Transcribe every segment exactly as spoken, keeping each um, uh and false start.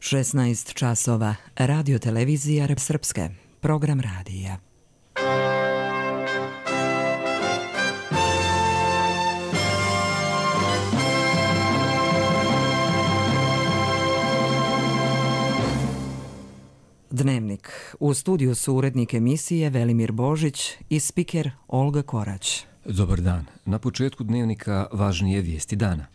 šesnaest časova. Radio televizija Srpske. Program radija. Dnevnik. U studiju su urednik emisije Velimir Božić i spiker Olga Korać. Dobar dan. Na početku dnevnika važnije vijesti dana.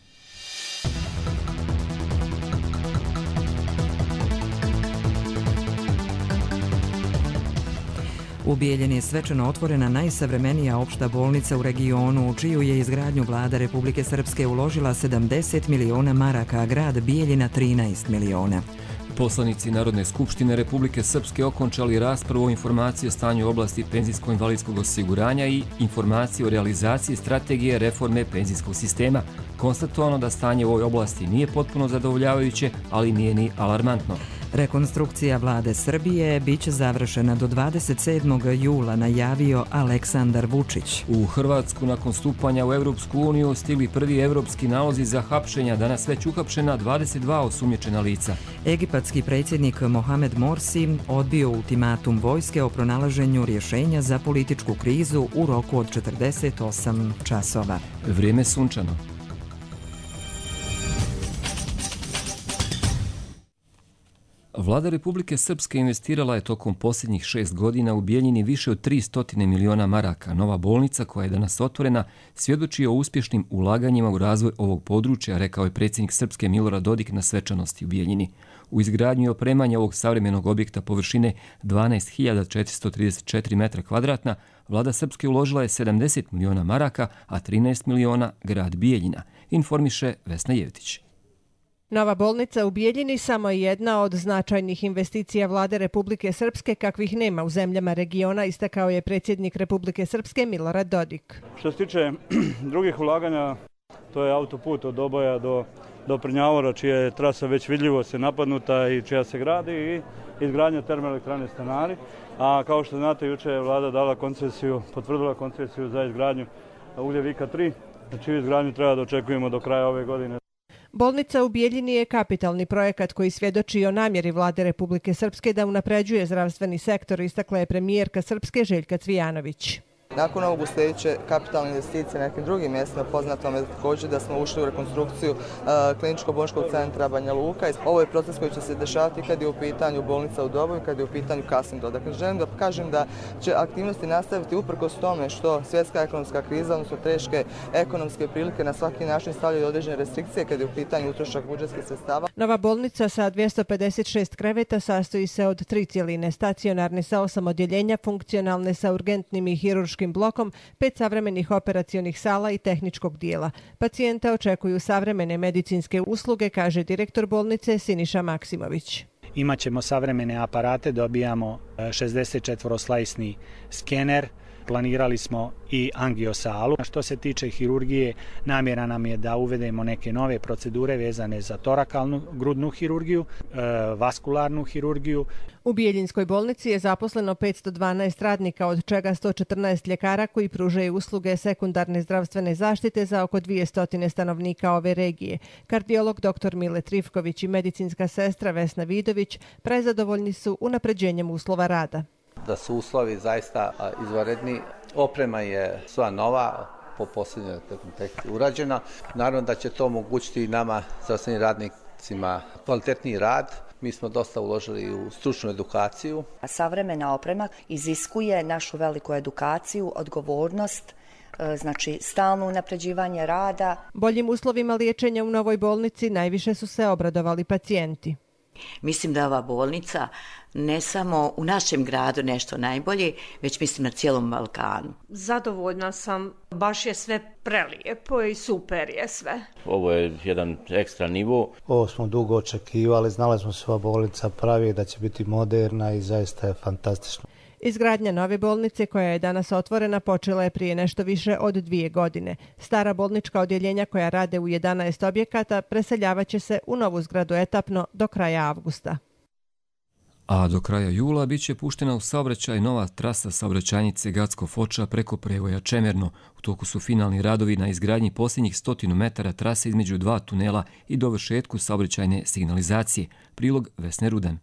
U Bijeljini je svečano otvorena najsavremenija opšta bolnica u regionu, u čiju je izgradnju vlada Republike Srpske uložila sedamdeset miliona maraka, a grad Bijeljina trinaest miliona. Poslanici Narodne skupštine Republike Srpske okončali raspravu o informaciji o stanju oblasti penzijsko-invalidskog osiguranja i informaciji o realizaciji strategije reforme penzijskog sistema. Konstatovano da stanje u ovoj oblasti nije potpuno zadovoljavajuće, ali nije ni alarmantno. Rekonstrukcija vlade Srbije biće završena do dvadeset sedmog jula, najavio Aleksandar Vučić. U Hrvatsku nakon stupanja u Evropsku uniju stigli prvi evropski nalozi za hapšenja, danas već uhapšena dvadeset dva osumnjičena lica. Egipatski predsjednik Mohamed Morsi odbio ultimatum vojske o pronalaženju rješenja za političku krizu u roku od četrdeset osam časova. Vrijeme sunčano. Vlada Republike Srpske investirala je tokom posljednjih šest godina u Bijeljini više od tristo miliona maraka. Nova bolnica, koja je danas otvorena, svjedoči o uspješnim ulaganjima u razvoj ovog područja, rekao je predsjednik Srpske Milorad Dodik na svečanosti u Bijeljini. U izgradnju i opremanje ovog savremenog objekta površine dvanaest hiljada četiristo trideset četiri metra kvadratna, vlada Srpske uložila je sedamdeset miliona maraka, a trinaest miliona grad Bijeljina, informiše Vesna Jevtić. Nova bolnica u Bijeljini samo je jedna od značajnih investicija vlade Republike Srpske kakvih nema u zemljama regiona, istakao je predsjednik Republike Srpske Milorad Dodik. Što se tiče drugih ulaganja, to je autoput od Doboja do, do Prnjavora, čija je trasa već vidljivo se napadnuta i čija se gradi, i izgradnja termoelektrane Stanari. A kao što znate, juče je vlada dala koncesiju, potvrdila koncesiju za izgradnju Ugljevika tri, čiju izgradnju treba da očekujemo do kraja ove godine. Bolnica u Bijeljini je kapitalni projekat koji svjedoči o namjeri vlade Republike Srpske da unapređuje zdravstveni sektor, istakla je premijerka Srpske Željka Cvijanović. Nakon ovog uslijedeće kapitalne investicije na nekim drugim mjestima, poznato je također da smo ušli u rekonstrukciju uh, kliničko-bolničkog centra Banja Luka. Ovo je proces koji će se dešavati kad je u pitanju bolnica u Doboju, kad je u pitanju Kasindro. Dakle, želim da kažem da će aktivnosti nastaviti uprkos tome što svjetska ekonomska kriza, odnosno teške ekonomske prilike na svaki način stavljaju određene restrikcije kad je u pitanju utrošak budžetskih sredstava. Nova bolnica sa dvjesto pedeset šest kreveta sastoji se od tri cjeline, stacionarne sa osam odjeljenja, funkcionalne sa urgentnim i hirurškim blokom, pet savremenih operacionih sala i tehničkog dijela. Pacijenta očekuju savremene medicinske usluge, kaže direktor bolnice Siniša Maksimović. Imaćemo savremene aparate, dobijamo šezdeset četvoroslajsni skener, planirali smo i angiosalu. Što se tiče hirurgije, namjera nam je da uvedemo neke nove procedure vezane za torakalnu grudnu hirurgiju, e, vaskularnu hirurgiju. U Bijeljinskoj bolnici je zaposleno petsto dvanaest radnika, od čega sto četrnaest ljekara koji pružaju usluge sekundarne zdravstvene zaštite za oko dvjesto stanovnika ove regije. Kardiolog dr. Mile Trifković i medicinska sestra Vesna Vidović prezadovoljni su unapređenjem uslova rada. Da su uslovi zaista izvanredni, oprema je sva nova, po posljednjoj tehnici urađena. Naravno da će to omogućiti i nama, zdravstvenim radnicima, kvalitetniji rad. Mi smo dosta uložili u stručnu edukaciju. Savremena oprema iziskuje našu veliku edukaciju, odgovornost, znači stalno unapređivanje rada. Boljim uslovima liječenja u novoj bolnici najviše su se obradovali pacijenti. Mislim da je ova bolnica ne samo u našem gradu nešto najbolje, već mislim na cijelom Balkanu. Zadovoljna sam, baš je sve prelijepo i super je sve. Ovo je jedan ekstra nivo. Ovo smo dugo očekivali, znali smo se ova bolnica pravi, da će biti moderna i zaista je fantastično. Izgradnja nove bolnice, koja je danas otvorena, počela je prije nešto više od dvije godine. Stara bolnička odjeljenja koja rade u jedanaest objekata preseljavaće se u novu zgradu etapno do kraja avgusta. A do kraja jula bit će puštena u saobraćaj nova trasa saobraćajnice Gacko-Foča preko prevoja Čemerno. U toku su finalni radovi na izgradnji posljednjih stotinu metara trase između dva tunela i dovršetku saobraćajne signalizacije. Prilog Vesne Rudan.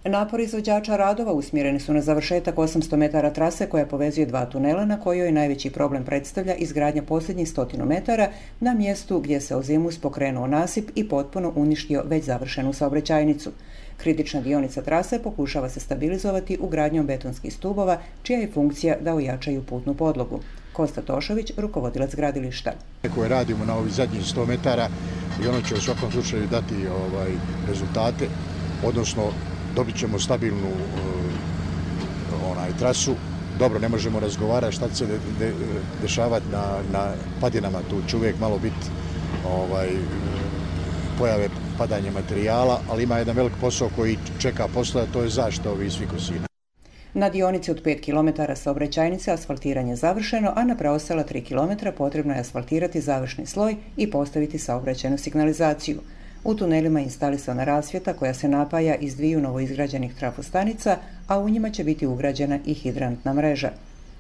Napori izvođača radova usmjereni su na završetak osamsto metara trase koja povezuje dva tunela na kojoj najveći problem predstavlja izgradnja posljednjih stotinu metara na mjestu gdje se ozimus pokrenuo nasip i potpuno uništio već završenu saobraćajnicu. Kritična dionica trase pokušava se stabilizovati ugradnjom betonskih stubova, čija je funkcija da ojačaju putnu podlogu. Kosta Tošović, rukovodilac gradilišta. Koje radimo na ovih zadnjih sto metara i ono će u svakom slučaju dati ovaj, rezultate, odnosno dobit ćemo stabilnu uh, onaj trasu. Dobro, ne možemo razgovarati šta će se de, de, dešavati na, na padinama, tu će uvijek malo biti ovaj, pojave padanja materijala, ali ima jedan velik posao koji čeka posla, to je zaštita ovih svih kosina. Na dionici od pet kilometara saobraćajnice asfaltiranje je završeno, a na preostala tri kilometra potrebno je asfaltirati završni sloj i postaviti saobraćajnu signalizaciju. U tunelima je instalisana rasvjeta koja se napaja iz dviju novoizgrađenih trafostanica, a u njima će biti ugrađena i hidrantna mreža.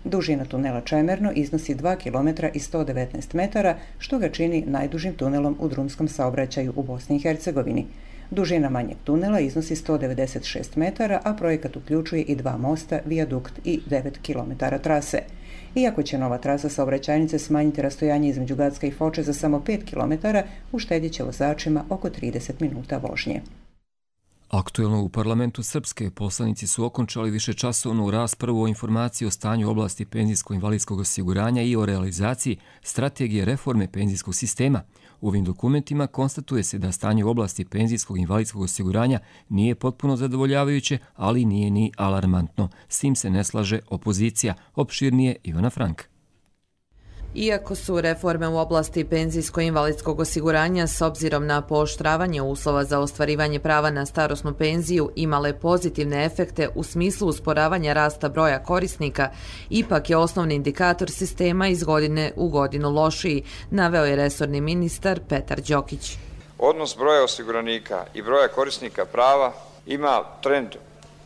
Dužina tunela Čemerno iznosi dva kilometra i sto devetnaest metara, što ga čini najdužim tunelom u drumskom saobraćaju u Bosni i Hercegovini. Dužina manjeg tunela iznosi sto devedeset šest metara, a projekat uključuje i dva mosta, vijadukt i devet kilometara trase. Iako će nova trasa saobraćajnice smanjiti rastojanje između Gacka i Foče za samo pet kilometara, uštedit će vozačima oko trideset minuta vožnje. Aktuelno u parlamentu Srpske poslanici su okončali višečasovnu raspravu o informaciji o stanju oblasti penzijsko-invalidskog osiguranja i o realizaciji strategije reforme penzijskog sistema. U ovim dokumentima konstatuje se da stanje u oblasti penzijskog invalidskog osiguranja nije potpuno zadovoljavajuće, ali nije ni alarmantno. S tim se ne slaže opozicija. Opširnije Ivana Frank. Iako su reforme u oblasti penzijsko-invalidskog osiguranja s obzirom na pooštravanje uslova za ostvarivanje prava na starosnu penziju imale pozitivne efekte u smislu usporavanja rasta broja korisnika, ipak je osnovni indikator sistema iz godine u godinu lošiji, naveo je resorni ministar Petar Đokić. Odnos broja osiguranika i broja korisnika prava ima trend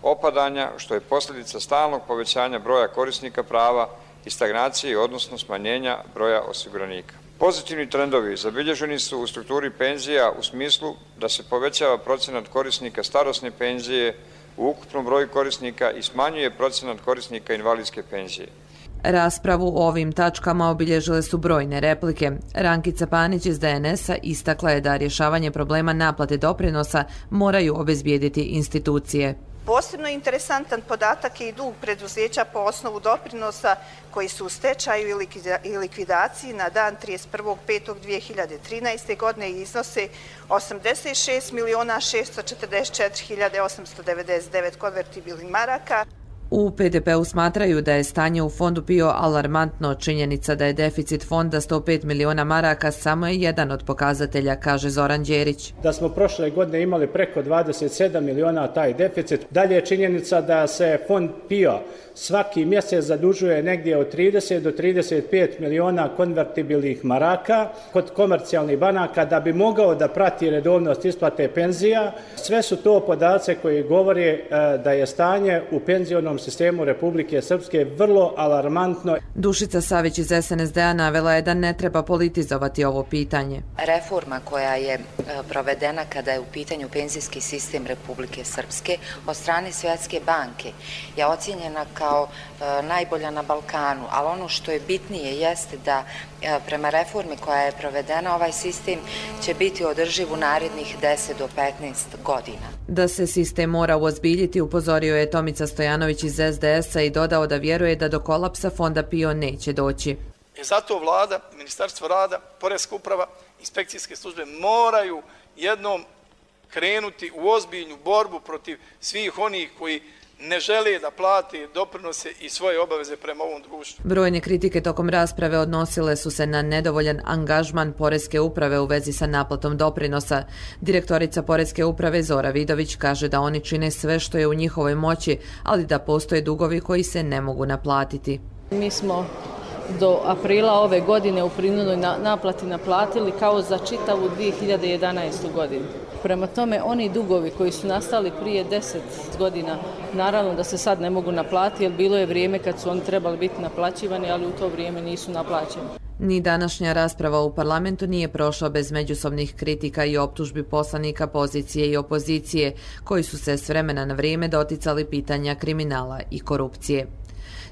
opadanja, što je posljedica stalnog povećanja broja korisnika prava i stagnacije, odnosno smanjenja broja osiguranika. Pozitivni trendovi zabilježeni su u strukturi penzija u smislu da se povećava procenat korisnika starosne penzije u ukupnom broju korisnika i smanjuje procenat korisnika invalidske penzije. Raspravu o ovim tačkama obilježile su brojne replike. Rankica Panić iz D N S-a istakla je da rješavanje problema naplate doprinosa moraju obezbijediti institucije. Posebno interesantan podatak je i dug preduzeća po osnovu doprinosa koji su u stečaju i likvidaciji na dan trideset prvog petog dvije hiljade trinaeste. godine i iznose osamdeset šest miliona šesto četrdeset četiri hiljade osamsto devedeset devet konvertibilnih maraka. U P D P-u smatraju da je stanje u fondu P I O alarmantno. Činjenica da je deficit fonda sto pet miliona maraka samo je jedan od pokazatelja, kaže Zoran Đerić. Da smo prošle godine imali preko dvadeset sedam miliona taj deficit. Dalje je činjenica da se fond P I O svaki mjesec zadužuje negdje od trideset do trideset pet miliona konvertibilnih maraka kod komercijalnih banaka da bi mogao da prati redovnost isplate penzija. Sve su to podaci koji govore da je stanje u penzionom sistemu Republike Srpske vrlo alarmantno. Dušica Savić iz S N S D-a navela je da ne treba politizovati ovo pitanje. Reforma koja je provedena kada je u pitanju penzijski sistem Republike Srpske od strane Svjetske banke je ocijenjena kao najbolja na Balkanu, ali ono što je bitnije jeste da prema reformi koja je provedena ovaj sistem će biti održiv u narednih deset do petnaest godina. Da se sistem mora uozbiljiti, upozorio je Tomica Stojanović iz S D S-a i dodao da vjeruje da do kolapsa fonda P I O neće doći. E zato vlada, Ministarstvo rada, Poreska uprava, inspekcijske službe moraju jednom krenuti u ozbiljnu borbu protiv svih onih koji ne žele da plate doprinose i svoje obaveze prema ovom društvu. Brojne kritike tokom rasprave odnosile su se na nedovoljan angažman Poreske uprave u vezi sa naplatom doprinosa. Direktorica Poreske uprave Zora Vidović kaže da oni čine sve što je u njihovoj moći, ali da postoje dugovi koji se ne mogu naplatiti. Mi smo do aprila ove godine u prinudnoj naplati naplatili kao za čitavu dvije hiljade jedanaestu. godinu. Prema tome, oni dugovi koji su nastali prije deset godina, naravno da se sad ne mogu naplatiti, jer bilo je vrijeme kad su oni trebali biti naplaćivani, ali u to vrijeme nisu naplaćeni. Ni današnja rasprava u parlamentu nije prošla bez međusobnih kritika i optužbi poslanika pozicije i opozicije, koji su se s vremena na vrijeme doticali pitanja kriminala i korupcije.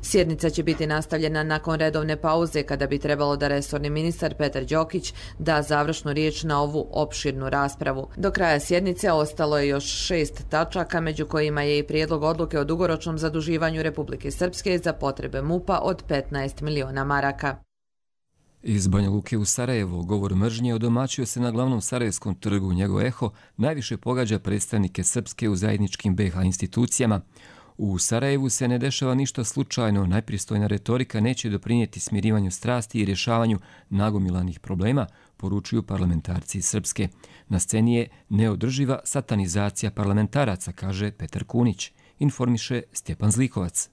Sjednica će biti nastavljena nakon redovne pauze, kada bi trebalo da resorni ministar Petar Đokić da završnu riječ na ovu opširnu raspravu. Do kraja sjednice ostalo je još šest tačaka, među kojima je i prijedlog odluke o dugoročnom zaduživanju Republike Srpske za potrebe MUP-a od petnaest miliona maraka. Iz Banja Luke u Sarajevo govor mržnje odomaćio se na glavnom sarajevskom trgu. Njegov eho najviše pogađa predstavnike Srpske u zajedničkim be ha institucijama. U Sarajevu se ne dešava ništa slučajno, najpristojna retorika neće doprinijeti smirivanju strasti i rješavanju nagomilanih problema, poručuju parlamentarci iz Srpske. Na sceni je neodrživa satanizacija parlamentaraca, kaže Petar Kunić. Informiše Stjepan Zlikovac.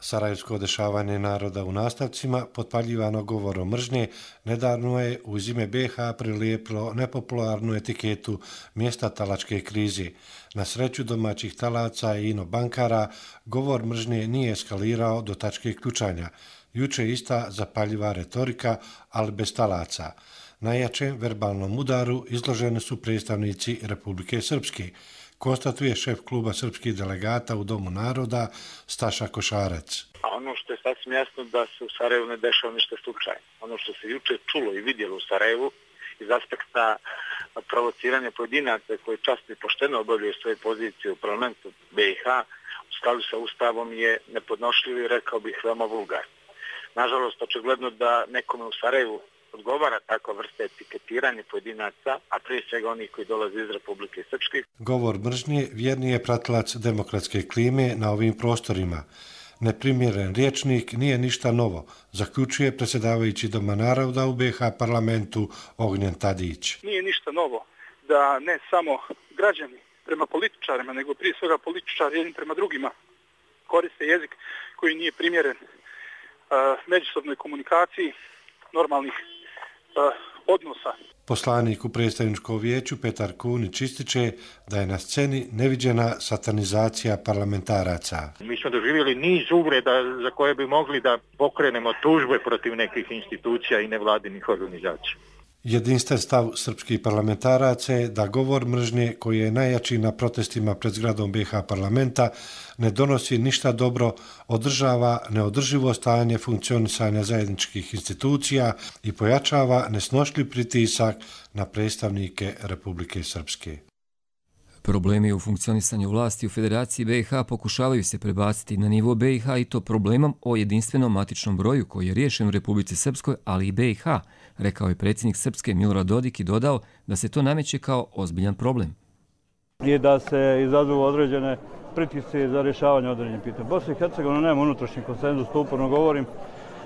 Sarajevsko dešavanje naroda u nastavcima, potpaljivano govorom mržnje, nedavno je uz ime be ha prilijepilo nepopularnu etiketu mjesta talačke krize. Na sreću domaćih talaca i ino bankara, govor mržnje nije eskalirao do tačke ključanja. Juče ista zapaljiva retorika, ali bez talaca. Najjačem verbalnom udaru izloženi su predstavnici Republike Srpske, konstatuje šef kluba srpskih delegata u Domu naroda Staša Košarac. A ono što je sasvim jasno da se u Sarajevu ne dešava ništa slučajno. Ono što se juče čulo i vidjelo u Sarajevu iz aspekta provociranja pojedinaca koji časno i pošteno obavljaju svoje pozicije u parlamentu be ha u skladu sa Ustavom je nepodnošljivo i rekao bih veoma vulgar. Nažalost, očigledno da nekome u Sarajevu odgovara takva vrsta etiketiranja pojedinaca, a prije svega onih koji dolaze iz Republike Srpske. Govor mržnje vjerni je pratilac demokratske klime na ovim prostorima. Neprimjeren rječnik nije ništa novo, zaključuje predsjedavajući Doma naroda u be ha parlamentu Ognjen Tadić. Nije ništa novo da ne samo građani prema političarima, nego prije svega političari jednim prema drugima koriste jezik koji nije primjeren uh, međusobnoj komunikaciji normalnih odnosa. Poslanik u predstavničkom vijeću Petar Kunić ističe da je na sceni neviđena satanizacija parlamentaraca. Mi smo doživjeli niz uvreda za koje bi mogli da pokrenemo tužbe protiv nekih institucija i nevladinih organizacija. Jedinstven stav srpskih parlamentaraca je da govor mržnje, koji je najjači na protestima pred zgradom be ha parlamenta, ne donosi ništa dobro, održava neodrživo stanje funkcionisanja zajedničkih institucija i pojačava nesnošljiv pritisak na predstavnike Republike Srpske. Problemi u funkcionisanju vlasti u Federaciji be ha pokušavaju se prebaciti na nivo be ha i to problemom o jedinstvenom matičnom broju koji je riješen u Republici Srpskoj, ali i be ha, rekao je predsjednik Srpske Milorad Dodik i dodao da se to nameće kao ozbiljan problem. I da se izazovu određene pritisci za rješavanje određenih pitanja. Bosna i Hercegovina nema unutrašnji konsenzus, to uporno govorim.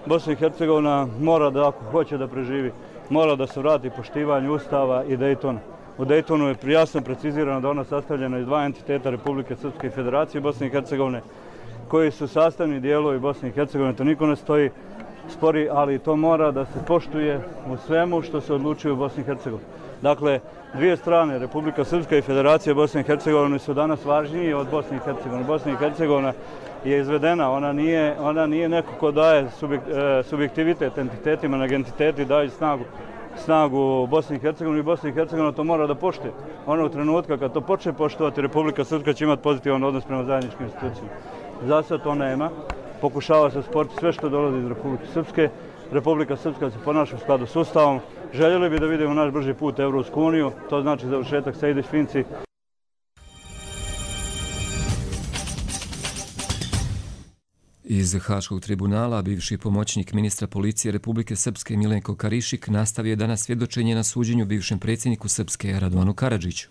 Bosna i Hercegovina mora da, ako hoće da preživi, mora da se vrati poštivanju Ustava i Dejtona. U Dejtonu je jasno precizirano da ona sastavljena iz dva entiteta Republike Srpske i Federacije Bosne i Hercegovine, koji su sastavni dijelovi Bosne i Hercegovine, to niko ne stoji spori, ali to mora da se poštuje u svemu što se odlučuje u Bosni i Hercegovini. Dakle, dvije strane, Republika Srpska i Federacija Bosne i Hercegovine, su danas važnije od Bosne i Hercegovine. Bosna i Hercegovina je izvedena, ona nije, ona nije neko ko daje subjektivitet entitetima, nego entiteti daju snagu snagu Bosni i Hercegovini i Bosni i Hercegovina to mora da poštuje. Onog trenutka kad to počne poštovati, Republika Srpska će imati pozitivan odnos prema zajedničkim institucijama. Za sad to nema. Pokušava se sporti sve što dolazi iz Republike Srpske. Republika Srpska se ponaša u skladu s Ustavom. Željeli bi da vidimo naš brži put u Evropsku uniju, to znači završetak Sejdić-Finci. Iz Haškog tribunala bivši pomoćnik ministra policije Republike Srpske Milenko Karišik nastavio je danas svjedočenje na suđenju bivšem predsjedniku Srpske Radovanu Karadžiću.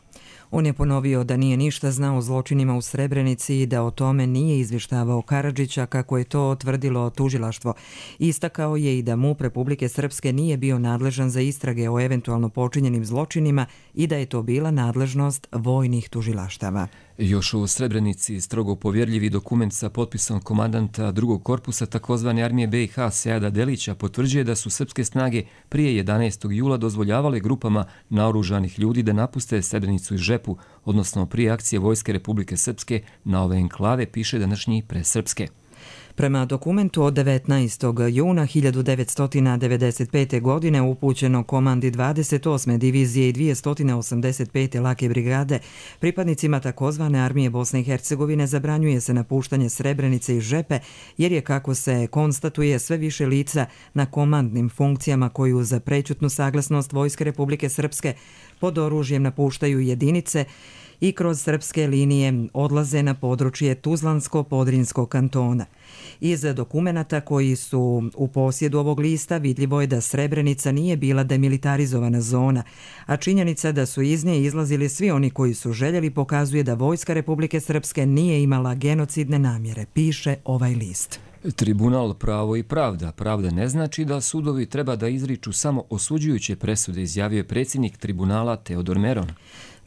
On je ponovio da nije ništa znao o zločinima u Srebrenici i da o tome nije izvještavao Karadžića kako je to tvrdilo tužilaštvo. Istakao je i da MUP Republike Srpske nije bio nadležan za istrage o eventualno počinjenim zločinima i da je to bila nadležnost vojnih tužilaštava. Još u Srebrenici strogo povjerljivi dokument sa potpisom komandanta drugog korpusa takozvane armije B i H Seada Delića potvrđuje da su srpske snage prije jedanaestog jula dozvoljavale grupama naoružanih ljudi da napuste Srebrenicu i Žepu, odnosno prije akcije Vojske Republike Srpske na ove enklave, piše današnji Presrpske. Prema dokumentu od devetnaestog juna hiljadu devetsto devedeset pete. godine upućeno komandi dvadeset osme divizije i dvjesto osamdeset pete lake brigade, pripadnicima takozvane armije Bosne i Hercegovine zabranjuje se napuštanje Srebrenice i Žepe, jer je, kako se konstatuje, sve više lica na komandnim funkcijama koji uz prećutnu saglasnost Vojske Republike Srpske pod oružjem napuštaju jedinice i kroz srpske linije odlaze na područje Tuzlansko-Podrinskog kantona. Iz dokumenata koji su u posjedu ovog lista vidljivo je da Srebrenica nije bila demilitarizovana zona, a činjenica da su iz nje izlazili svi oni koji su željeli pokazuje da Vojska Republike Srpske nije imala genocidne namjere, piše ovaj list. Tribunal Pravo i pravda. Pravda ne znači da sudovi treba da izriču samo osuđujuće presude, izjavio je predsjednik tribunala Teodor Meron.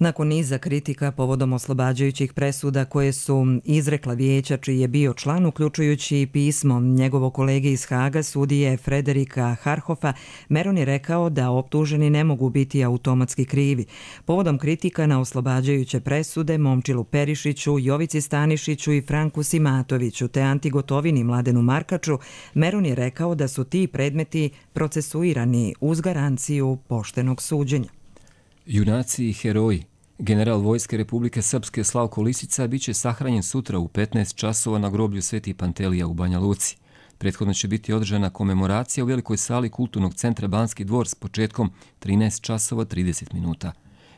Nakon niza kritika povodom oslobađajućih presuda koje su izrekla vijeća čiji je bio član, uključujući pismo njegovog kolege iz Haga, sudije Frederika Harhofa, Meron je rekao da optuženi ne mogu biti automatski krivi. Povodom kritika na oslobađajuće presude Momčilu Perišiću, Jovici Stanišiću i Franku Simatoviću te Anti Gotovini Mladenu Markaču, Meron je rekao da su ti predmeti procesuirani uz garanciju poštenog suđenja. Junaci i heroji. General Vojske Republike Srpske Slavko Lisica biće sahranjen sutra u petnaest časova na groblju Sveti Pantelija u Banja Luci. Prethodno će biti održana komemoracija u velikoj sali Kulturnog centra Banski dvor s početkom trinaest časova trideset minuta.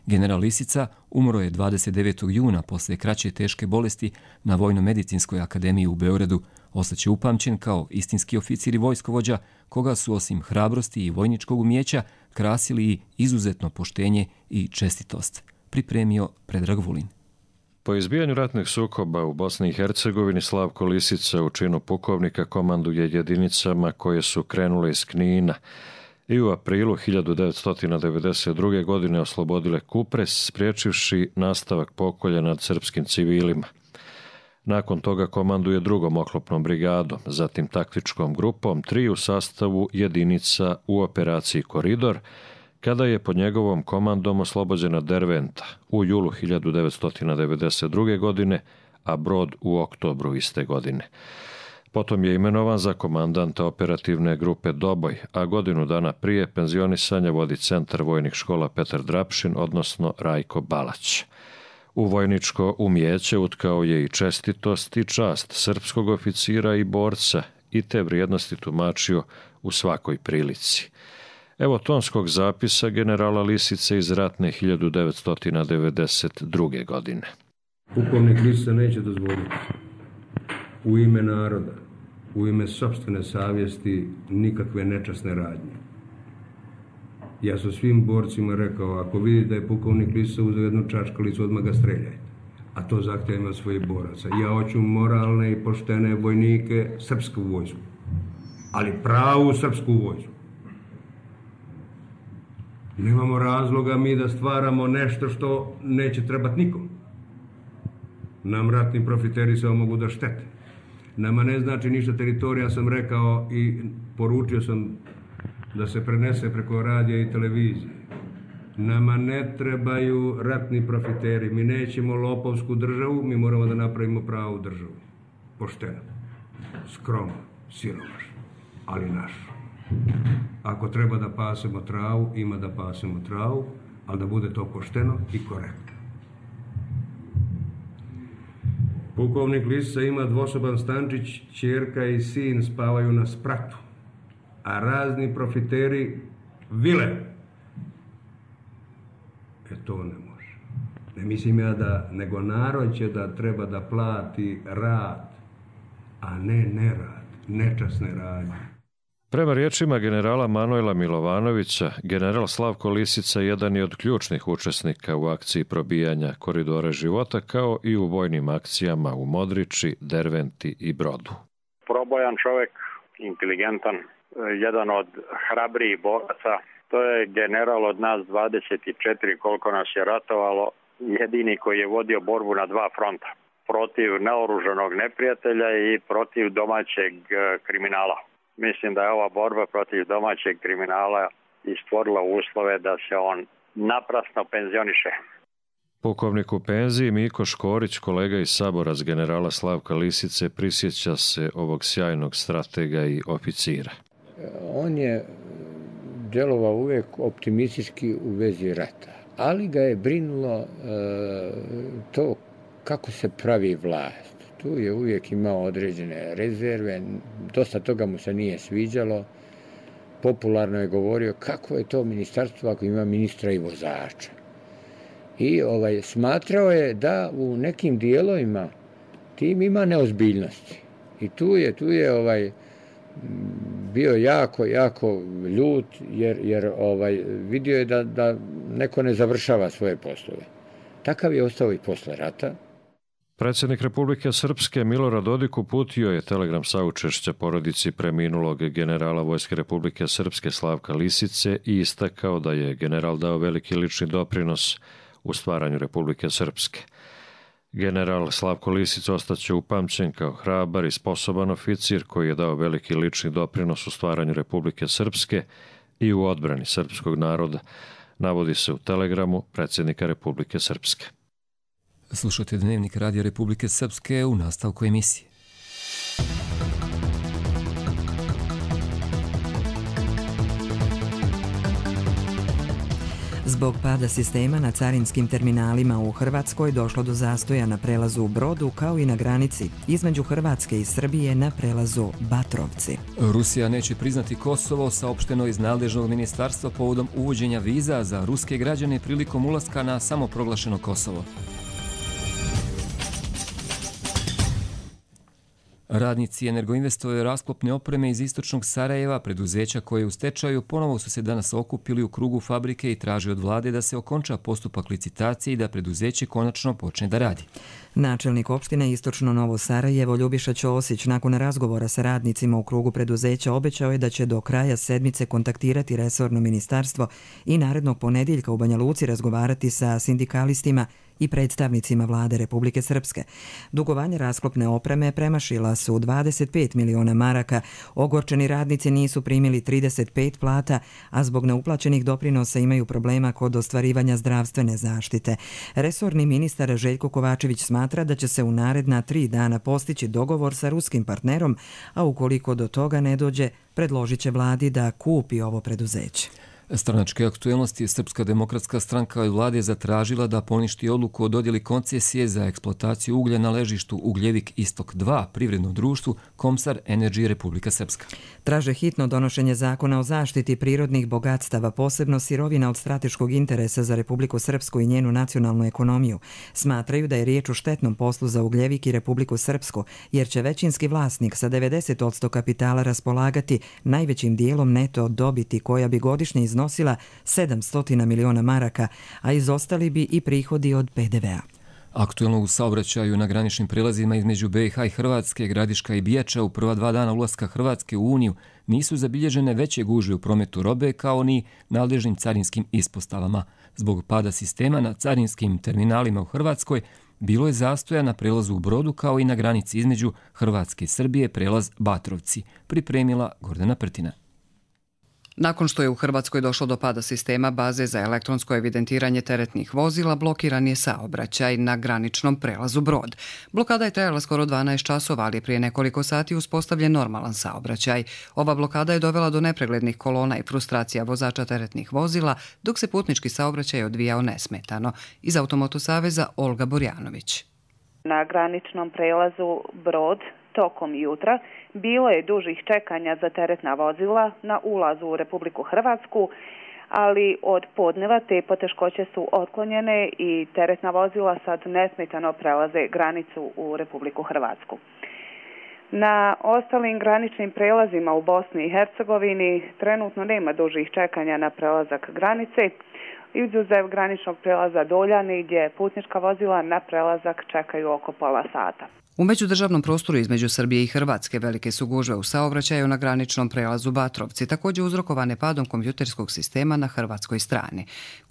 General Lisica umro je dvadeset devetog juna posle kraće teške bolesti na Vojno-medicinskoj akademiji u Beogradu. Ostaće upamćen kao istinski oficir i vojskovođa, koga su osim hrabrosti i vojničkog umijeća krasili i izuzetno poštenje i čestitost. Pripremio Predrag Vulin. Po izbijanju ratnih sukoba u Bosni i Hercegovini Slavko Lisica u činu pukovnika komanduje jedinicama koje su krenule iz Knina i u aprilu hiljadu devetsto devedeset druge. godine oslobodile Kupres, spriječivši nastavak pokolja nad srpskim civilima. Nakon toga komanduje drugom oklopnom brigadom, zatim taktičkom grupom tri u sastavu jedinica u operaciji Koridor, kada je pod njegovom komandom oslobođena Derventa u julu hiljadu devetsto devedeset druge. godine, a Brod u oktobru iste godine. Potom je imenovan za komandanta operativne grupe Doboj, a godinu dana prije penzionisanja vodi centar vojnih škola Petar Drapšin, odnosno Rajko Balać. U vojničko umijeće utkao je i čestitost i čast srpskog oficira i borca i te vrijednosti tumačio u svakoj prilici. Evo tonskog zapisa generala Lisice iz ratne hiljadu devetsto devedeset druge. godine. Pukovnik Lisica neće dozvoliti u ime naroda, u ime sopstvene savjesti nikakve nečasne radnje. Ja sam svim borcima rekao, ako vidite da je pukovnik Lisica uzeo jednu čačkalicu, odmah ga streljajte. A to zahtjevam od svojih boraca. Ja hoću moralne i poštene vojnike, srpsku vojsku. Ali pravu srpsku vojsku. Nemamo razloga mi da stvaramo nešto što neće trebati nikom. Nam ratni profiteri samo mogu da štete. Nama ne znači ništa teritorija, sam rekao i poručio sam da se prenese preko radija i televizije. Nama ne trebaju ratni profiteri. Mi nećemo lopovsku državu, mi moramo da napravimo pravu državu. Pošteno, skromno, siromašno, ali našu. Ako treba da pasemo travu, ima da pasemo travu, ali da bude to pošteno i korektno. Pukovnik Lisica ima dvosoban stančić, ćerka i sin spavaju na spratu, a razni profiteri vile. E to ne može. Ne mislim ja da, nego narod će da treba da plati rad, a ne nerad, nečasne radnje. Prema riječima generala Manuela Milovanovića, general Slavko Lisica jedan je od ključnih učesnika u akciji probijanja koridora života, kao i u vojnim akcijama u Modriči, Derventi i Brodu. Probojan čovjek, inteligentan, jedan od hrabrijih boraca. To je general od nas dvadeset četiri, koliko nas je ratovalo, jedini koji je vodio borbu na dva fronta. Protiv naoružanog neprijatelja i protiv domaćeg kriminala. Mislim da je ova borba protiv domaćeg kriminala i stvorila uslove da se on naprasno penzioniše. Pukovnik u penziji Miko Škorić, kolega iz Saborac generala Slavka Lisice, prisjeća se ovog sjajnog stratega i oficira. On je djelovao uvijek optimistički u vezi rata, ali ga je brinulo e, to kako se pravi vlast. Tu je uvijek imao određene rezerve, dosta toga mu se nije sviđalo. Popularno je govorio kako je to ministarstvo ako ima ministra i vozača. I ovaj, smatrao je da u nekim dijelovima tim ima neozbiljnosti. I tu je, tu je ovaj, bio jako, jako ljut jer, jer ovaj, vidio je da, da neko ne završava svoje poslove. Takav je ostao i posle rata. Predsjednik Republike Srpske Milorad Dodik uputio je telegram saučešća porodici preminulog generala Vojske Republike Srpske Slavka Lisice i istakao da je general dao veliki lični doprinos u stvaranju Republike Srpske. General Slavko Lisica ostaće upamćen kao hrabar i sposoban oficir koji je dao veliki lični doprinos u stvaranju Republike Srpske i u odbrani srpskog naroda, navodi se u telegramu predsjednika Republike Srpske. Slušajte Dnevnik Radija Republike Srpske u nastavku emisije. Zbog pada sistema na carinskim terminalima u Hrvatskoj došlo do zastoja na prelazu u Brodu kao i na granici između Hrvatske i Srbije na prelazu Batrovci. Rusija neće priznati Kosovo, saopšteno iz nadležnog ministarstva povodom uvođenja viza za ruske građane prilikom ulaska na samoproglašeno Kosovo. Radnici Energoinvestove rasklopne opreme iz istočnog Sarajeva, preduzeća koje je u stečaju, ponovo su se danas okupili u krugu fabrike i traži od vlade da se okonča postupak licitacije i da preduzeće konačno počne da radi. Načelnik opštine Istočno Novo Sarajevo Ljubiša Ćosić nakon razgovora sa radnicima u krugu preduzeća obećao je da će do kraja sedmice kontaktirati resorno ministarstvo i narednog ponedjeljka u Banja Luci razgovarati sa sindikalistima i predstavnicima vlade Republike Srpske. Dugovanje rasklopne opreme premašila su dvadeset pet miliona maraka, ogorčeni radnici nisu primili trideset pet plata, a zbog neuplaćenih doprinosa imaju problema kod ostvarivanja zdravstvene zaštite. Resorni ministar Željko Kovačević smatra da će se u naredna tri dana postići dogovor sa ruskim partnerom, a ukoliko do toga ne dođe, predložit će vladi da kupi ovo preduzeće. Stranačke aktuelnosti Srpska demokratska stranka od vlade zatražila da poništi odluku o dodjeli koncesije za eksploataciju uglja na ležištu Ugljevik Istok dva privrednom društvu Komsar Energy Republika Srpska. Traže hitno donošenje zakona o zaštiti prirodnih bogatstava, posebno sirovina od strateškog interesa za Republiku Srpsku i njenu nacionalnu ekonomiju. Smatraju da je riječ o štetnom poslu za Ugljevik i Republiku Srpsku, jer će većinski vlasnik sa devedeset posto kapitala raspolagati najvećim dijelom neto dobiti koja bi godišnje iznosila nosila sedamsto miliona maraka, a izostali bi i prihodi od pe de vea. Aktuelno u saobraćaju na graničnim prelazima između be i ha i Hrvatske, Gradiška i Bijača u prva dva dana ulaska Hrvatske u Uniju nisu zabilježene veće gužve u prometu robe kao ni nadležnim carinskim ispostavama. Zbog pada sistema na carinskim terminalima u Hrvatskoj bilo je zastoja na prelazu u Brodu kao i na granici između Hrvatske i Srbije prelaz Batrovci, pripremila Gordana Prtina. Nakon što je u Hrvatskoj došlo do pada sistema baze za elektronsko evidentiranje teretnih vozila, blokiran je saobraćaj na graničnom prelazu Brod. Blokada je trajala skoro dvanaest časova, ali je prije nekoliko sati uspostavljen normalan saobraćaj. Ova blokada je dovela do nepreglednih kolona i frustracija vozača teretnih vozila, dok se putnički saobraćaj odvijao nesmetano. Iz Automoto saveza Olga Borjanović. Na graničnom prelazu Brod tokom jutra bilo je dužih čekanja za teretna vozila na ulazu u Republiku Hrvatsku, ali od podneva te poteškoće su otklonjene i teretna vozila sad nesmetano prelaze granicu u Republiku Hrvatsku. Na ostalim graničnim prelazima u Bosni i Hercegovini trenutno nema dužih čekanja na prelazak granice, izuzev graničnog prelaza Doljani gdje putnička vozila na prelazak čekaju oko pola sata. U međudržavnom prostoru između Srbije i Hrvatske velike su gužve u saobraćaju na graničnom prelazu Batrovci, također uzrokovane padom kompjuterskog sistema na hrvatskoj strani.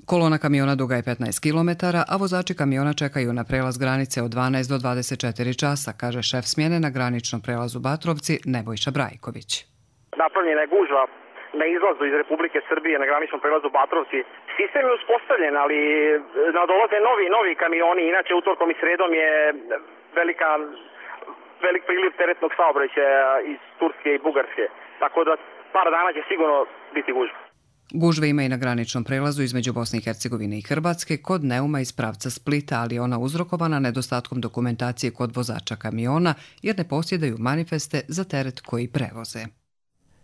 Kolona kamiona duga je petnaest kilometara, a vozači kamiona čekaju na prelaz granice od dvanaest do dvadeset četiri časa, kaže šef smjene na graničnom prelazu Batrovci Nebojša Brajković. Napravljena je gužva na izlazu iz Republike Srbije na graničnom prelazu Batrovci. Sistem je uspostavljen, ali nadolaze novi novi kamioni. Inače, utorkom i sredom je velika, velik priliv teretnog saobraćaja iz Turske i Bugarske. Tako da par dana će sigurno biti gužva. Gužve ima i na graničnom prelazu između Bosne i Hercegovine i Hrvatske kod Neuma iz pravca Splita, ali je ona uzrokovana nedostatkom dokumentacije kod vozača kamiona jer ne posjedaju manifeste za teret koji prevoze.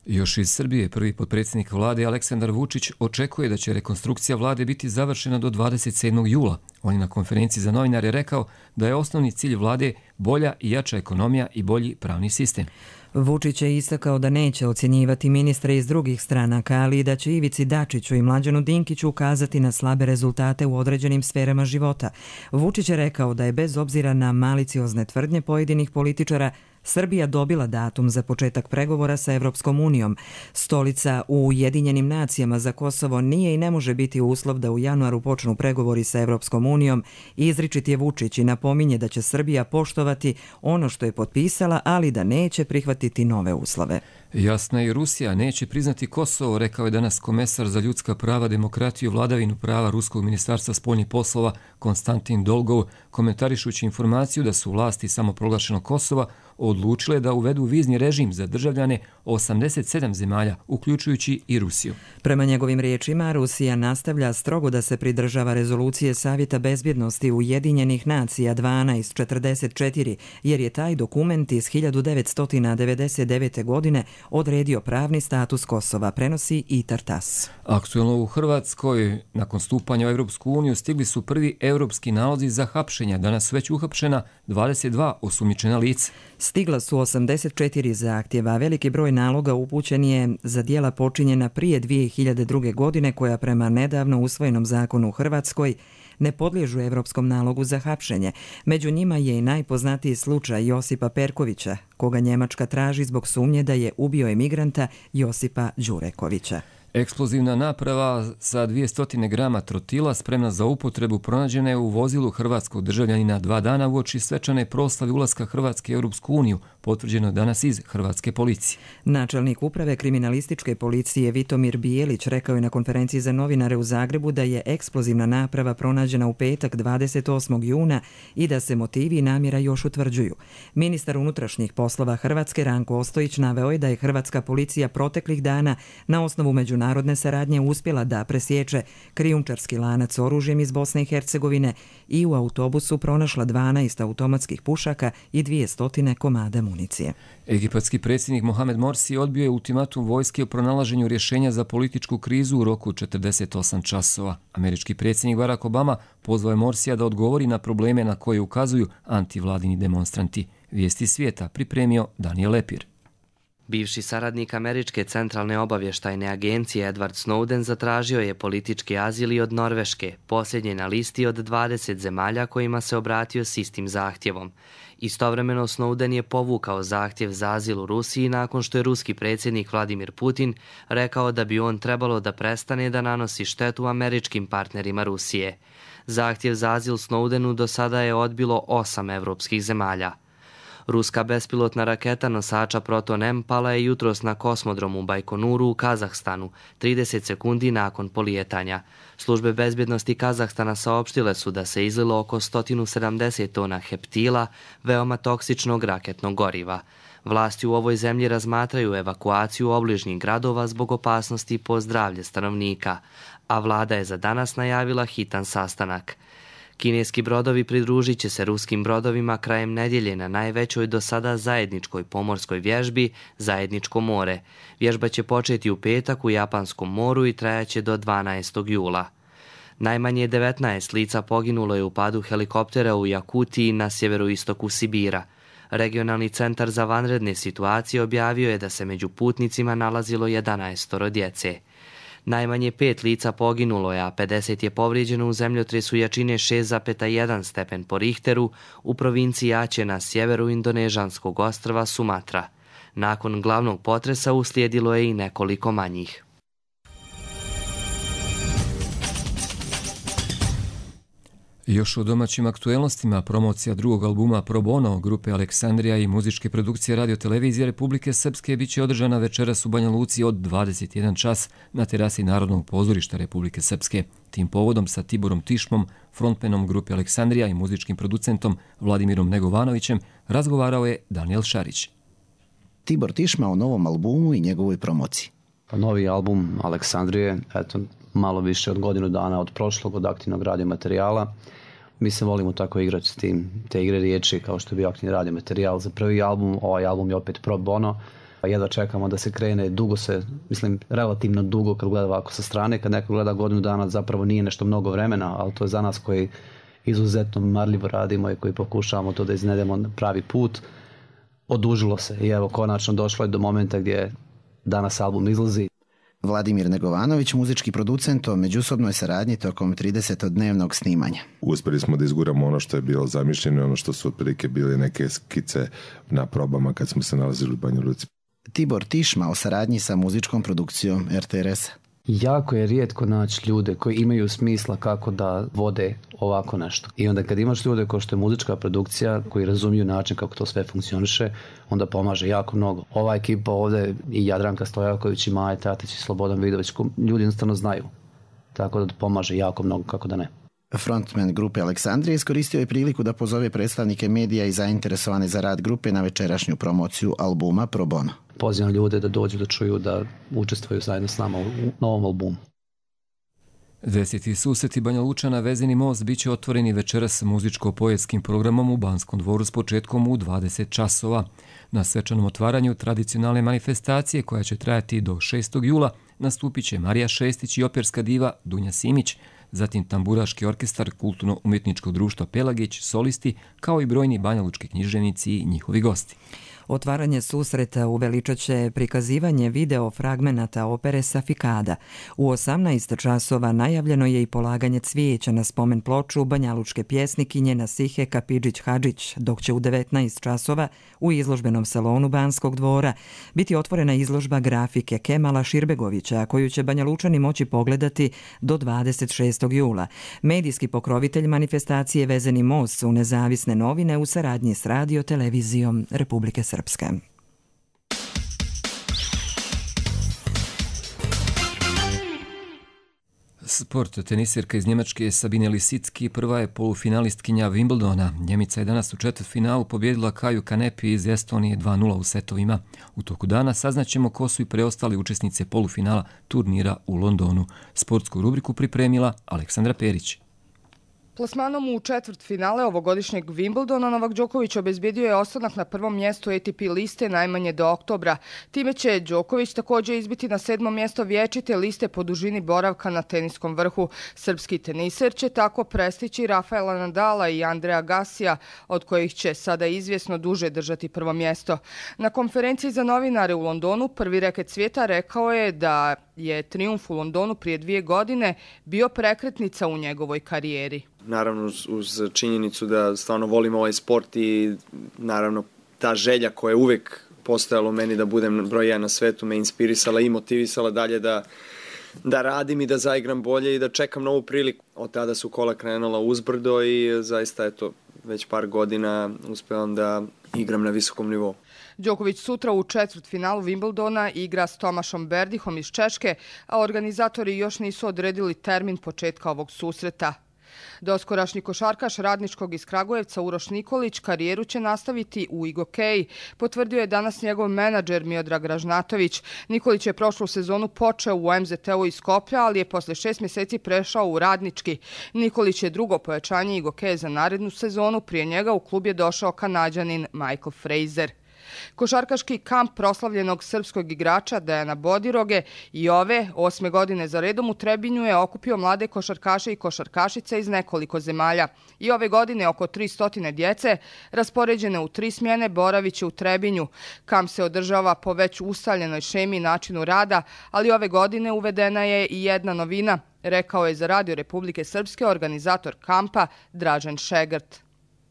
Još iz Srbije prvi potpredsjednik vlade Aleksandar Vučić očekuje da će rekonstrukcija vlade biti završena do dvadeset sedmog jula. On je na konferenciji za novinare rekao da je osnovni cilj vlade bolja i jača ekonomija i bolji pravni sistem. Vučić je istakao da neće ocjenjivati ministre iz drugih stranaka, ali i da će Ivici Dačiću i Mlađanu Dinkiću ukazati na slabe rezultate u određenim sferama života. Vučić je rekao da je bez obzira na maliciozne tvrdnje pojedinih političara Srbija dobila datum za početak pregovora sa Evropskom unijom. Stolica u Ujedinjenim nacijama za Kosovo nije i ne može biti uslov da u januaru počnu pregovori sa Evropskom unijom. Izričit je Vučić i napominje da će Srbija poštovati ono što je potpisala, ali da neće prihvatiti nove uslove. Jasna i Rusija neće priznati Kosovo, rekao je danas komesar za ljudska prava, demokratiju, vladavinu prava Ruskog ministarstva spoljnih poslova Konstantin Dolgov, komentarišući informaciju da su vlasti samoproglašenog Kosova odlučile da uvedu vizni režim za državljane osamdeset sedam zemalja, uključujući i Rusiju. Prema njegovim riječima, Rusija nastavlja strogo da se pridržava rezolucije Savjeta bezbjednosti Ujedinjenih nacija dvanaest četrdeset četiri, jer je taj dokument iz hiljadu devetsto devedeset devete. godine odredio pravni status Kosova, prenosi i Tartas. Aktuelno u Hrvatskoj, nakon stupanja u Evropsku uniju, stigli su prvi europski nalozi za hapšenja. Danas već uhapšena dvadeset dva osumnjičena lica. Stigla su osamdeset četiri zahtjeva. Veliki broj naloga upućen je za djela počinjena prije dvije hiljade druge. godine, koja prema nedavno usvojenom zakonu u Hrvatskoj ne podliježu evropskom nalogu za hapšenje. Među njima je i najpoznatiji slučaj Josipa Perkovića, koga Njemačka traži zbog sumnje da je ubio emigranta Josipa Đurekovića. Eksplozivna naprava sa dvjesto grama trotila spremna za upotrebu pronađena je u vozilu hrvatskog državljanina dva dana uoči svečane proslave ulaska Hrvatske u Europsku uniju, potvrđeno danas iz Hrvatske policije. Načelnik uprave kriminalističke policije Vitomir Bijelić rekao je na konferenciji za novinare u Zagrebu da je eksplozivna naprava pronađena u petak dvadeset osmog juna i da se motivi i namjera još utvrđuju. Ministar unutrašnjih poslova Hrvatske Ranko Ostojić naveo je da je hrvatska policija proteklih dana na osnovu međunarodne Narodne saradnje uspjela da presječe krijumčarski lanac oružjem iz Bosne i Hercegovine i u autobusu pronašla dvanaest automatskih pušaka i dvjesto komada municije. Egipatski predsjednik Mohamed Morsi odbio je ultimatum vojske o pronalaženju rješenja za političku krizu u roku četrdeset osam časova. Američki predsjednik Barack Obama pozvao je Morsija da odgovori na probleme na koje ukazuju antivladini demonstranti. Vijesti svijeta pripremio Daniel Lepir. Bivši saradnik Američke centralne obavještajne agencije Edward Snowden zatražio je politički azil i od Norveške, posljednje na listi od dvadeset zemalja kojima se obratio s istim zahtjevom. Istovremeno Snowden je povukao zahtjev za azil u Rusiji nakon što je ruski predsjednik Vladimir Putin rekao da bi on trebalo da prestane da nanosi štetu američkim partnerima Rusije. Zahtjev za azil Snowdenu do sada je odbilo osam evropskih zemalja. Ruska bespilotna raketa nosača Proton M pala je jutros na kosmodromu Bajkonuru u Kazahstanu, trideset sekundi nakon polijetanja. Službe bezbjednosti Kazahstana saopštile su da se izlilo oko sto sedamdeset tona heptila, veoma toksičnog raketnog goriva. Vlasti u ovoj zemlji razmatraju evakuaciju obližnjih gradova zbog opasnosti po zdravlje stanovnika, a vlada je za danas najavila hitan sastanak. Kineski brodovi pridružit će se ruskim brodovima krajem nedjelje na najvećoj do sada zajedničkoj pomorskoj vježbi Zajedničko more. Vježba će početi u petak u Japanskom moru i trajaće do dvanaestog jula. Najmanje devetnaest lica poginulo je u padu helikoptera u Jakutiji na sjeveroistoku Sibira. Regionalni centar za vanredne situacije objavio je da se među putnicima nalazilo jedanaest djece. Najmanje pet lica poginulo je, a pedeset je povrijeđeno u zemljotresu jačine šest zarez jedan stepen po Richteru u provinciji Aceh na sjeveru indonežanskog ostrva Sumatra. Nakon glavnog potresa uslijedilo je i nekoliko manjih. Još u domaćim aktuelnostima promocija drugog albuma Pro Bono grupe Aleksandrija i muzičke produkcije Radio Televizije Republike Srpske biće održana večeras u Banja Luci od dvadeset jedan čas na terasi Narodnog pozorišta Republike Srpske. Tim povodom sa Tiborom Tišmom, frontmenom grupe Aleksandrija i muzičkim producentom Vladimirom Negovanovićem razgovarao je Daniel Šarić. Tibor Tišma o novom albumu i njegovoj promociji. Novi album Aleksandrije, eto, malo više od godinu dana od prošlog, od aktivnog radio materijala. Mi se volimo tako igrati s tim, te igre riječi kao što je bio aktivni radio materijal za prvi album. Ovaj album je opet Pro Bono. Jedva čekamo da se krene, dugo se, mislim, relativno dugo kad gleda ovako sa strane. Kad neko gleda godinu dana zapravo nije nešto mnogo vremena, ali to je za nas koji izuzetno marljivo radimo i koji pokušavamo to da iznedemo na pravi put. Odužilo se i evo konačno došlo je do momenta gdje danas album izlazi. Vladimir Negovanović, muzički producent o međusobnoj saradnji tokom tridesetodnevnog snimanja. Uspjeli smo da izguramo ono što je bilo zamišljeno, ono što su otprilike bili neke skice na probama kad smo se nalazili u Banja Luci. Tibor Tišma o saradnji sa muzičkom produkcijom er te er esa. Jako je rijetko naći ljude koji imaju smisla kako da vode ovako nešto. I onda kad imaš ljude kao što je muzička produkcija koji razumiju način kako to sve funkcioniše, onda pomaže jako mnogo. Ova ekipa ovdje i Jadranka Stojaković i Maja Tatić i Slobodan Vidović, ljudi jednostavno znaju. Tako da pomaže jako mnogo, kako da ne. Frontman grupe Aleksandrije iskoristio je priliku da pozove predstavnike medija i zainteresovane za rad grupe na večerašnju promociju albuma Pro Bono. Pozivam ljude da dođu da čuju, da učestvuju zajedno s nama u novom albumu. Deseti susreti Banja Lučana Vezeni most biće otvoreni večeras muzičko-poetskim programom u Banskom dvoru s početkom u dvadeset časova. Na svečanom otvaranju tradicionalne manifestacije koja će trajati do šestog jula nastupit će Marija Šestić i operska diva Dunja Simić, zatim tamburaški orkestar Kulturno-umjetničkog društva Pelagić, solisti, kao i brojni banjalučki književnici i njihovi gosti. Otvaranje susreta uveličat će prikazivanje video fragmenata opere Safikada. U osamnaest časova najavljeno je i polaganje cvijeća na spomen ploču banjalučke pjesnikinje Nasihe Kapidžić-Hadžić, dok će u devetnaest časova u izložbenom salonu Banskog dvora biti otvorena izložba grafike Kemala Širbegovića, koju će Banjalučani moći pogledati do dvadeset šestog jula. Medijski pokrovitelj manifestacije Vezeni most su nezavisne novine u saradnji s Radio Televizijom Republike Srpske. Srpske. Sport. Tenisirka iz Njemačke Sabine Lisicki prva je polufinalistkinja Wimbledona. Njemica je danas u četvrtfinalu pobjedila Kaju Kanepi iz Estonije dva nula u setovima. U toku dana saznaćemo ko su i preostali učesnice polufinala turnira u Londonu. Sportsku rubriku pripremila Aleksandra Perić. Plasmanom u četvrt finale ovogodišnjeg Wimbledona Novak Đoković obezbijedio je ostanak na prvom mjestu A T P liste najmanje do oktobra. Time će Đoković također izbiti na sedmo mjesto vječite liste po dužini boravka na teniskom vrhu. Srpski teniser će tako prestići Rafaela Nadala i Andreja Gasija, od kojih će sada izvjesno duže držati prvo mjesto. Na konferenciji za novinare u Londonu prvi reket svijeta rekao je da je trijumf u Londonu prije dvije godine bio prekretnica u njegovoj karijeri. Naravno uz činjenicu da stvarno volim ovaj sport i naravno ta želja koja je uvijek postojala u meni da budem broj jedan na svetu me inspirisala i motivisala dalje da, da radim i da zaigram bolje i da čekam novu priliku. Od tada su kola krenula uzbrdo i zaista eto već par godina uspevam da igram na visokom nivou. Đoković sutra u četvrtfinalu Wimbledona igra s Tomašom Berdihom iz Češke, a organizatori još nisu odredili termin početka ovog susreta. Doskorašnji košarkaš Radničkog iz Kragujevca Uroš Nikolić karijeru će nastaviti u Igokeji, potvrdio je danas njegov menadžer Miodrag Ražnatović. Nikolić je prošlu sezonu počeo u M Z T-u iz Skoplja, ali je posle šest mjeseci prešao u Radnički. Nikolić je drugo pojačanje Igokeje za narednu sezonu, prije njega u klub je došao Kanađanin Michael Fraser. Košarkaški kamp proslavljenog srpskog igrača Dejana Bodiroge i ove osme godine za redom u Trebinju je okupio mlade košarkaše i košarkašice iz nekoliko zemalja. I ove godine oko tristo djece, raspoređene u tri smjene, boraviće u Trebinju. Kamp se održava po već ustaljenoj šemi i načinu rada, ali ove godine uvedena je i jedna novina, rekao je za Radio Republike Srpske organizator kampa Dražen Šegrt.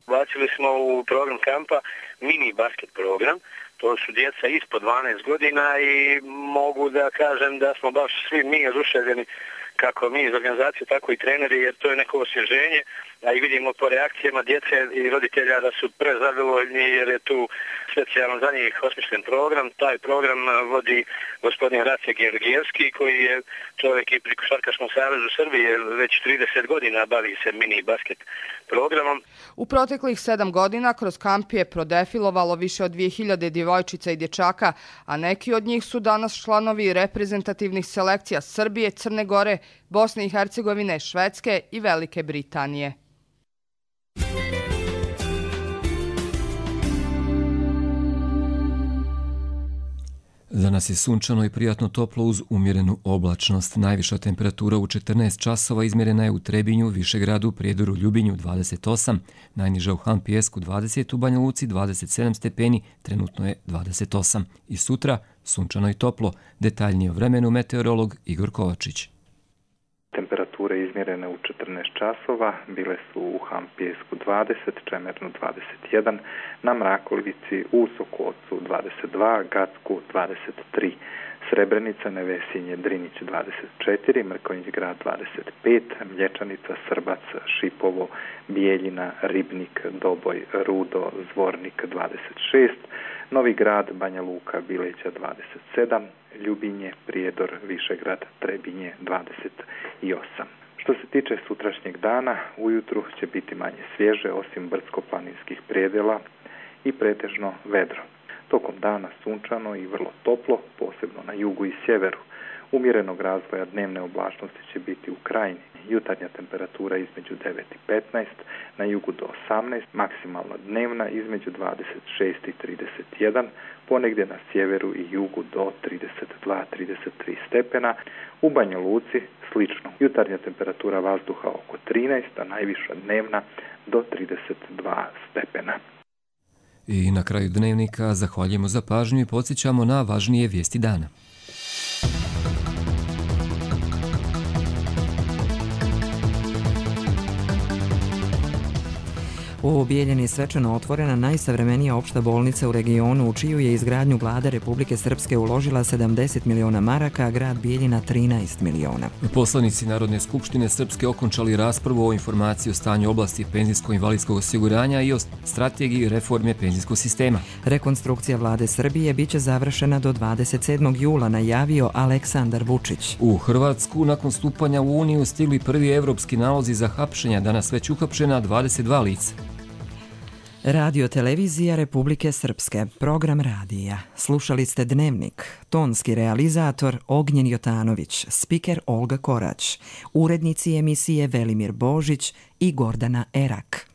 Bacili smo u program kampa mini basket program. To su djeca ispod dvanaest godina i mogu da kažem da smo baš svi mi oduševljeni, kako mi iz organizacije, tako i treneri, jer to je neko osvježenje, a i vidimo po reakcijama djece i roditelja da su prezadovoljni jer je tu specijalno za njih osmišljen program. Taj program vodi gospodin Race Georgijevski, koji je čovjek i pri Košarkaškom savezu Srbije, već trideset godina bavi se mini basket programom. U proteklih sedam godina kroz kamp je prodefilovalo više od dvije hiljade djevojčica i dječaka, a neki od njih su danas članovi reprezentativnih selekcija Srbije, Crne Gore, Bosne i Hercegovine, Švedske i Velike Britanije. Danas je sunčano i prijatno toplo uz umjerenu oblačnost. Najviša temperatura u četrnaest časova izmjerena je u Trebinju, Višegradu, Prijedoru, Ljubinju dvadeset osam, najniža u Han Pijesku dvadeset, u Banja Luci dvadeset sedam stepeni, trenutno je dvadeset osam. I sutra sunčano i toplo, detaljnije o vremenu meteorolog Igor Kovačić. Temperature izmjerene u četrnaest časova bile su u Han Pijesku dvadeset, Čemernu dvadeset jedan, na Mrakolici, u Sokocu dvadeset dva, Gacku dvadeset tri, Srebrenica, Nevesinje, Drinić dvadeset četiri, Mrkonjić Grad dvadeset pet, Mlječanica, Srbac, Šipovo, Bijeljina, Ribnik, Doboj, Rudo, Zvornik dvadeset šest, Novi Grad, Banja Luka, Bileća dvadeset sedam, Ljubinje, Prijedor, Višegrad, Trebinje dvadeset osam. Što se tiče sutrašnjeg dana, ujutru će biti manje svježe, osim brdsko-planinskih predjela i pretežno vedro. Tokom dana sunčano i vrlo toplo, posebno na jugu i sjeveru. Umjerenog razvoja dnevne oblačnosti će biti u Krajini. Jutarnja temperatura između devet i petnaest, na jugu do osamnaest, maksimalna dnevna između dvadeset šest i trideset jedan, ponegdje na sjeveru i jugu do trideset dva do trideset tri stepena. U Banja Luci slično. Jutarnja temperatura vazduha oko trinaest, a najviša dnevna do trideset dva stepena. I na kraju dnevnika zahvaljujemo za pažnju i podsjećamo na važnije vijesti dana. U Bijeljini svečano otvorena najsavremenija opšta bolnica u regionu, u čiju je izgradnju vlada Republike Srpske uložila sedamdeset miliona maraka, a grad Bijeljina trinaest miliona. Poslanici Narodne skupštine Srpske okončali raspravu o informaciji o stanju oblasti penzijsko-invalidskog osiguranja i o strategiji reforme penzijskog sistema. Rekonstrukcija vlade Srbije biće završena do dvadeset sedmog jula, najavio Aleksandar Vučić. U Hrvatsku nakon stupanja u Uniju stigli prvi evropski nalozi za hapšenja, danas već uhapšena dvadeset dva lica. Radio Televizija Republike Srpske, program radija. Slušali ste Dnevnik, tonski realizator Ognjen Jotanović, spiker Olga Korać, urednici emisije Velimir Božić i Gordana Erak.